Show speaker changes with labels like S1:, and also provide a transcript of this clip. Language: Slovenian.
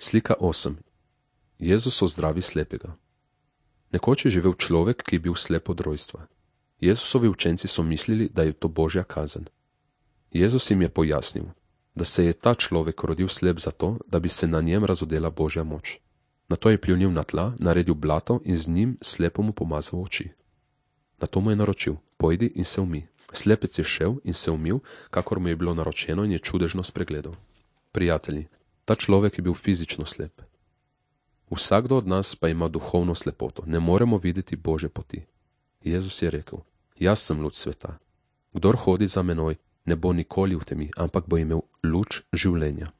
S1: Slika 8. Jezus ozdravi slepega. Nekoč je živel človek, ki je bil slep od rojstva. Jezusovi učenci so mislili, da je to Božja kazen. Jezus jim je pojasnil, da se je ta človek rodil slep zato, da bi se na njem razodela Božja moč. Nato je pljunil na tla, naredil blato in z njim slepomu pomazal oči. Nato mu je naročil, pojdi in se umij. Slepec je šel in se umil, kakor mu je bilo naročeno, in je čudežno spregledal. Prijatelji, ta človek je bil fizično slep. Vsakdo od nas pa ima duhovno slepoto, ne moremo videti Božje poti. Jezus je rekel, jaz sem luč sveta. Kdor hodi za menoj, ne bo nikoli v temi, ampak bo imel luč življenja.